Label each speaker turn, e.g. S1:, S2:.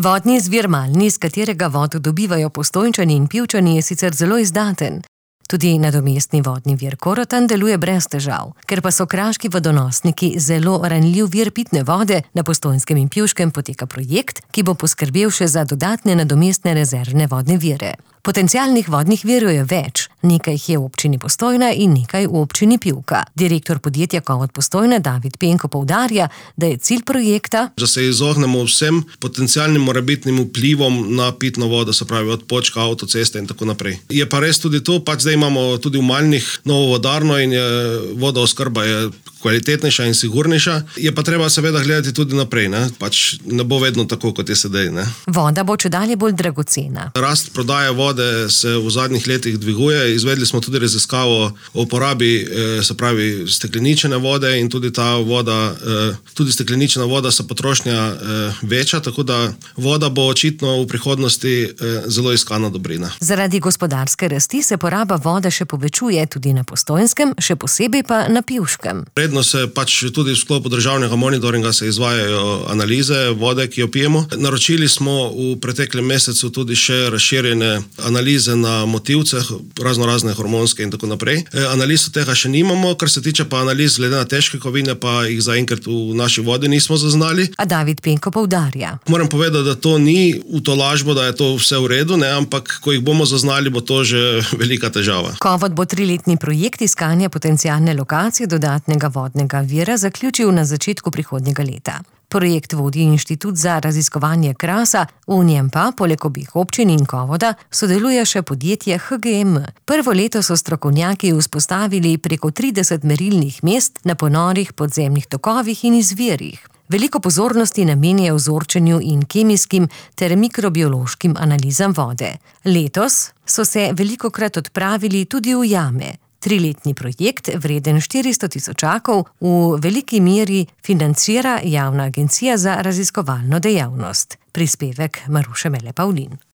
S1: Vodni izvir Malni, iz katerega vodo dobivajo Postojnčani in Pivčani, je sicer zelo izdaten. Tudi nadomestni vodni vir Korotan deluje brez težav. Ker pa so kraški vodonosniki zelo ranljiv vir pitne vode, na Postojnskem in Pivškem poteka projekt, ki bo poskrbel še za dodatne nadomestne rezervne vodne vire. Potencialnih vodnih virov je več. Nekaj jih je v občini Postojna in nekaj v občini Pivka. Direktor podjetja Kovod Postojna David Penko poudarja, da je cilj projekta,
S2: da se izognemo vsem potencialnim morebitnim vplivom na pitno vodo, se pravi od Počka, avtoceste in tako naprej. Je pa res tudi to, zdaj imamo tudi v Malnih novo vodarno in vodooskrba je kvalitetnejša in sigurnejša. Je pa treba seveda gledati tudi naprej, ne bo vedno tako, kot je sedaj, ne.
S1: Voda bo čedalje bolj dragocena.
S2: Rast prodaje vode se v zadnjih letih dviguje. Izvedli smo tudi raziskavo o uporabi, se pravi, stekleničene vode in tudi ta voda, tudi stekleničena voda se potrošnja veča, tako da voda bo očitno v prihodnosti zelo iskana dobrina.
S1: Zaradi gospodarske rasti se poraba vode še povečuje tudi na Postojnskem, še posebej pa na Pivškem.
S2: Redno se tudi v sklopu državnega monitoringa se izvajajo analize vode, ki jo pijemo. Naročili smo v preteklem mesecu tudi še razširjene analize na motilceh, razne hormonske in tako naprej. Analiz tega še nimamo, kar se tiče pa analiz glede na težke kovine, pa jih zaenkrat v naši vodi nismo zaznali.
S1: A David Penko poudarja.
S2: Moram povedati, da to ni v tolažbo, da je to vse v redu, ampak ko jih bomo zaznali, bo to že velika težava.
S1: Kovod bo 3-letni projekt iskanja potencialne lokacije dodatnega vodnega vira zaključil na začetku prihodnjega leta. Projekt vodi Inštitut za raziskovanje Krasa, v njem pa, poleg obeh občin in Kovoda, sodeluje še podjetje HGM. Prvo leto so strokovnjaki vzpostavili preko 30 merilnih mest na ponorih podzemnih tokovih in izvirih. Veliko pozornosti namenjajo vzorčenju in kemijskim ter mikrobiološkim analizam vode. Letos so se velikokrat odpravili tudi v jame. 3-letni projekt, vreden 400 tisočakov, v veliki meri financira Javna agencija za raziskovalno dejavnost. Prispevek Maruše Mele Pavlin.